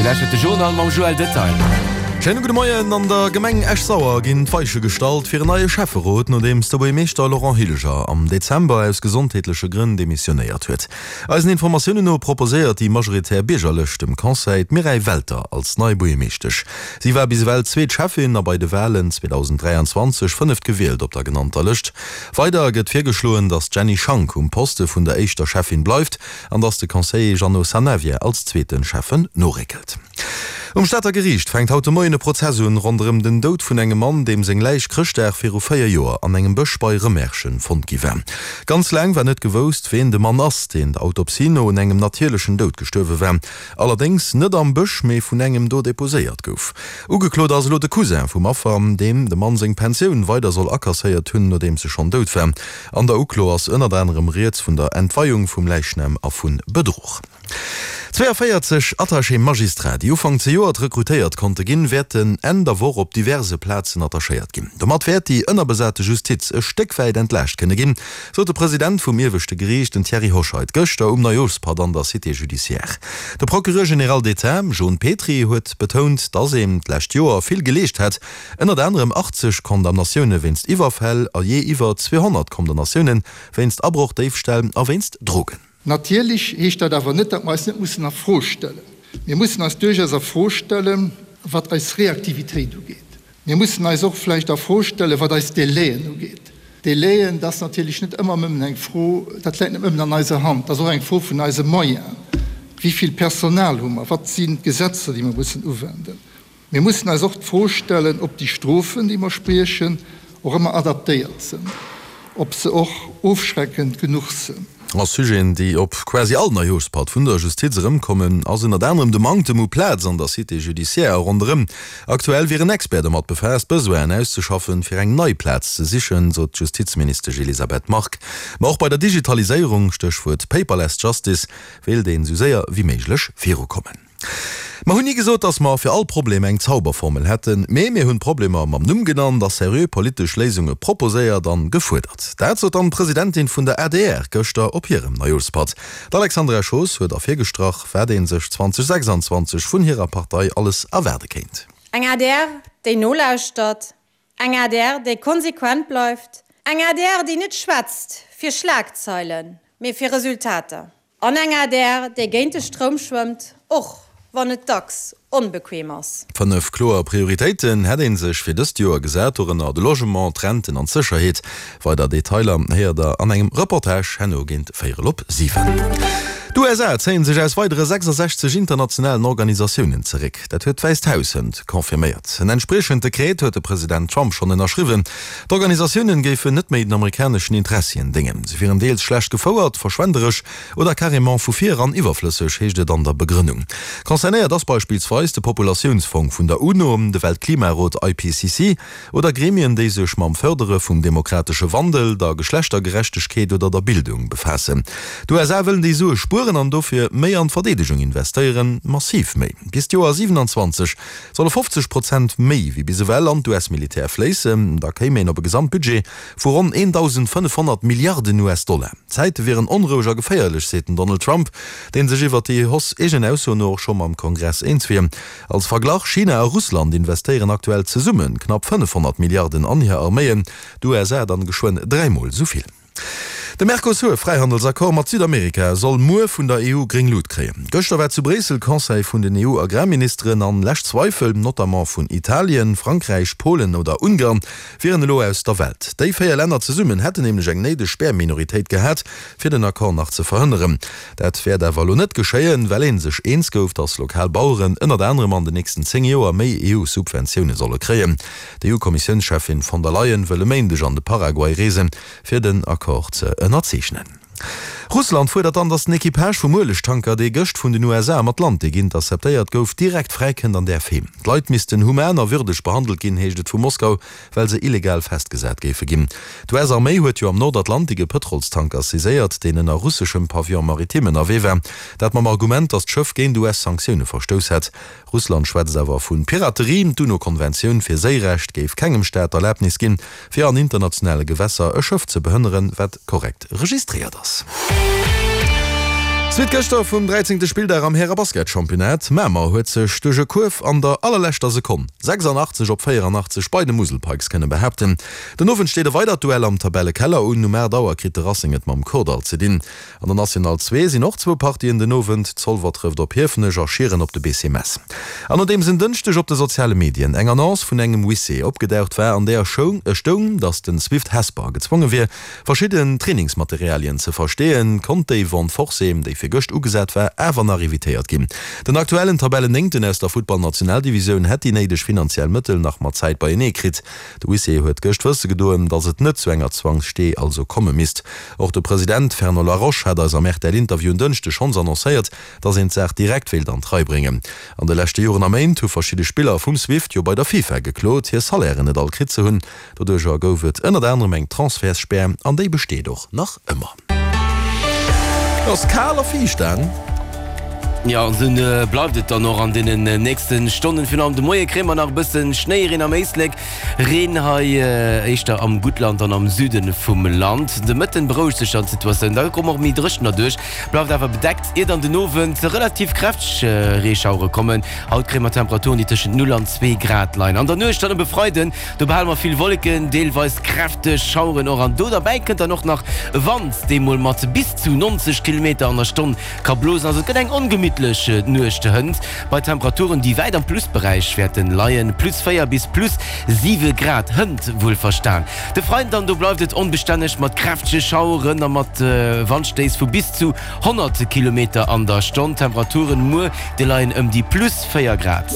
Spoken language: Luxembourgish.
Dir lauschtert de Journal mam Joël Detail. Schéine gudde Moien. An der Gemeng Esch-Sauer ginn d'Weiche gestallt fir en neie Schäfferot, nodeems de Buergermeeschter Laurent Hilger am Dezember aus gesondheetleche Grënn demissionéiert huet. Eisen Informatiounen no proposéiert déi majoritär Biergerlëscht dem Conseil d'Mireille Welter als nei Buergermeeschtesch. Si war bis ewell zweet Schäffin a bei de Walen 2023 fënneft gewielt op der genannter Lëscht. Weider gëtt virgeschloen, datt d'Jenny Schank um Poste vun der éischter Schäffin bleift an datt de Conseiller Jeannot Sanavia als zweete Schäffen noréckelt. Um Stater Geriicht fänkt haut de Moien e Prozess un ronderëm den Doud vun engem Mann, deem seng Läich Chrëschtdag viru 4 Joer an engem Bësch bei Rëmerschen fonnt gi war. Ganz laang war net gewousst, ween de Mann ass, deen der Autopsie no un engem natierlechen Doud gestuerwe war. Allerdéngs net am Bësch, mee vun engem do deposéiert gouf. Ugeklot ass elo de Cousin vum Affer, deem de Mann seng Pensioun weider soll akasséiert hunn, nodeems e schonn dout war. An der Uklo ass ënnert anerem rieds vun der Entweiung vum Läichnam a vu Bedruch. 42 Attachés magistrats, déi Ufank zejoert rekrutéiert konnte ginn, wäerten Enn der Woch op diverse Plazen attachéiert ginn. Domat wäert déi ënnerbesate Justiz e Stéck wäit entlaascht kënne ginn, sot de President vum ieweschte Geriicht, den Thierry Hoscheit, gëschter um Neijooschpatt an der Cité judiciaire. De Procureur général d'État, Jon Petry, huet betount, datt een d'lescht Joer vill geleescht hätt, ënnert anerem 80 Condamnatioune wéinst Iwwerfäll a jee iwwer 200 Condamnatioune wéinst Abroch, Déifställ a wéinst Drogen. Natierlech heescht dat awer net, datt mer eis net mussen a Fro stellen. Mir mussen eis duerchaus a Fro stellen, wat eis Reaktivitéit ugeet. Mir mussen eis och vläicht a Fro stellen, wat eis Délaiën ugeet. Délaiën, dat ass natierlech net ëmmer nëmmen eng Fro, dat läit net nëmmen an eiser Hand, dat ass och eng Fro vun eise Moyenen. Wéi vill Personal hu mer? Wat sinn d'Gesetzer, déi mer mussen uwenden? Mir mussen eis och d'Fro stellen, ob déi Strofen, déi mer spriechen, och ëmmer adaptéiert sinn, ob se och ofschreckend genuch sinn. A Sujeten, déi op quasi all Neijooschpatt vun der Justiz erëmkommen, ass ënnert anerem de Manktem u Plaz an der Cité judiciaire a ronderëm. Aktuell wier en Expert domat befaasst, Besoinen auszeschaffen, fir eng nei Plaz ze sichen, sot d'Justizministesch Elisabeth Margue. Ma och bei der Digitaliséierung, Stéchwuert Paperless Justice, wéilt een esou séier wéi méiglech virukommen. Mer hunn ni gesot, dass mer fir all Problem eng Zauberformel hätten, mee mir hunn d'Problemer mam Numm genannt a seriö politesch Léisunge proposéiert an gefuerdert. Dat sot dann d'Presidentin vun der adr gëschter op hirem Neijooschpatt. D'Alexandra Schoos huet ervirgestrach, wat ee sech 2026 vun hirer Partei alles erwaarde kéint. Eng adr, déi nolauschtert, eng adr, déi konsequent bleift, eng adr, déi net schwätzt fir Schlagzeilen, mee fir Resultater. An eng adr, déi géint de Stroum schwëmmt, och wann et dacks onbequem ass. 5 kloer Prioritéiten hätt ee sech fir dëst Joer gesat, dorënner de Logement, d'Renten an d'Sécherheet. Weider Detailer héiert der an engem Reportage herno géint véierel op 7. D'USA zéien sech aus weidere 66 internationalen Organisatiounen zeréck. Dat huet d'Wäisst Haus hënt confirméiert. En entspriechend Dekret huet de President Trump schonn ënnerschriwwen. D'Organisatiounen géifen net méi den amerikaneschen Interessien déngen. Se wieren deels schlecht gefouert, verschwenderesch oder carrément vu vir eran iwwerflësseg, heescht et an der Begrënnung. Concernéiert ass beispillsweis de Populatiounsfong vun der UNO, de Weltklimarot IPCC oder Gremien, déi sech mam Fërdere vum demokratesche Wandel, der Geschlechtergerechtegkeet oder der Bildung befaassen. D'USA wëllen déi Sue spueren an dofir méi an d'Verdeedegung investéieren, massiv méi. Bis d'Joer 27 Solle 50 Prozent méi wéi bis ewell an d'US-Militär fléissen, da kéim een op e Gesamtbudget vu ronn 1.500 Milliarden US-Dollar. D'Zäite wieren onroueg a geféierlech, seet den Donald Trump, dee sech iwwer déi Hausse eegen Ausso no och scho mam Kongress eens wier. Als Verglach, China a Russland investéieren aktuell zesumme knapp 500 Milliarden an hir Arméien, d'USA dann geschwënn dräimol esou vill. De Mercosur-Fräihandelsaccord mat Südamerika soll muer vun der EU gréng Lut kréien. Gëschter war zu Bréissel Conseil vun den EU-Agrarministeren an lescht Zweifel, notamment vun Italien, Frankräich, Polen oder Ungarn, wieren elo aus der Welt. Déi 4 Länner zesummen hätten nämlech eng néideg Spärminoritéit gehat, fir den Accord nach ze verhënneren. Dat wäert awer elo net geschéien, well ee sech eens gouf, datt lokal Baueren ënnert anerem an den nächsten 10 Joer méi EU-Subventioune solle kréien. D'EU-Kommissiounscheffin von der Leyen wëll e Méindeg an de Paraguay reesen, fir den Accord ze ënnerzeechnen. Russland fuerdert dann, datt den Equipage vum Uelegtanker, dee gëscht vun den USA am Atlantik interceptéiert gouf, direkt fräikënnt an däerf heem. D'Leit missten human a würdeg behandelt ginn, heescht et vu Moskau, well se illegal festgesat géife ginn. D'US-Arméi huet jo am Nordatlantik e Pëtrolstanker saiséiert, deen ënner russeschem Pavillon maritime ënnerwee war. Dat mam Argument, datt d'Schëff géint US-Sanktioune verstouss hätt. Russland schwätzt awer vu Piraterie. D'UNO-Konventioun fir Séirecht géif kengem Staat d'Erlabnis ginn, fir an internationale Gewässer e Schëff ze behënneren, wat korrekt registréiert ass. Suite gëschter vum 13. Spilldag am Häre-Basket-Championnat. Mamer huet sech duerch e Kuerf an der allerleschter Sekonn, 86 op 84, bei de Musel Pikes kënne behaapten. Den Owend steet e weidert Duell am Tabellekeller un. Um 8 Auer kritt de Racing et mam Kordall ze dinn. An der National 2 sinn och zwou Partien den Owend, Zolwer trëfft op Hiefenech a Schieren op de BC Mess. An nodeems en Dënschdeg op de soziale Medien eng Annonce vun engem Huissier opgedaucht war, an där stoung, datt de Swift Hesper gezwonge wier, verschidden Trainingsmaterialien ze versteeën, konnt déi Vente forcée, déi fir gëscht ugesat war, awer nach evitéiert ginn. Den aktuellen Tabellennéngten aus der Futtball-Nationaldivisioun hätt déi néideg finanziell Mëttel nach mat Zäit beienee kritt. De Huissier huet gëscht wësse gedoen, datt et net zu enger Zwangsstee also komme misst. Och de President Fernand Laroche hat eis am RTL-Interview en Dënschdeg schonns annoncéiert, datt een d'Saach direkt wéilt an d'Rei bréngen. An de leschte Joren a Méint hu verschidde Spiller vum Swift jo bei der FIFA geklot, hir Salairen net all kritt ze hunn. Doduercher gouf et ënnert anerem eng Transfertsspär an déi besteet och nach ëmmer. Et ass kal a fiicht, Dan. Jo, an esou bleift et dann och an deenen nächste Stonnen. Virun allem de Moie kréie mer nach e bësse Schnéi erin am Éislek, Reen hei éischter am Guttland an am Süde vum Land. De Mëtten berouegt sech dann d'Situatioun, da komme och méi Dréchener duerch, bleift awer bedeckt, ier dann den Owend relativ kräfteg Reeschauere kommen. Haut kréie mer Temperaturen, déi tëschent 0 an 2 Grad leien. An der Nuecht dann op e Freiden, do behale mer vill Wolleken, deelweis kräfteg Schaueren och an do derbäi kënnt dann och nach e Wand, dee mol mat bis zu 90 Kilometer an der Stonn Ka blosen, also et gëtt eng ongemittlech Nuecht hënt bei Temperaturen déi wäit am Plusberäich wäerten leien, plus 4 bis plus 7 Grad hënt wuelverstan. De Freiden dann, do bleift et onbestänneg mat kräftege Schaueren a mat Wandstéiss vu bis zu 100 Kilometer an der Stonn. Temperaturen muer déi leien ëm déi plus 4 Grad.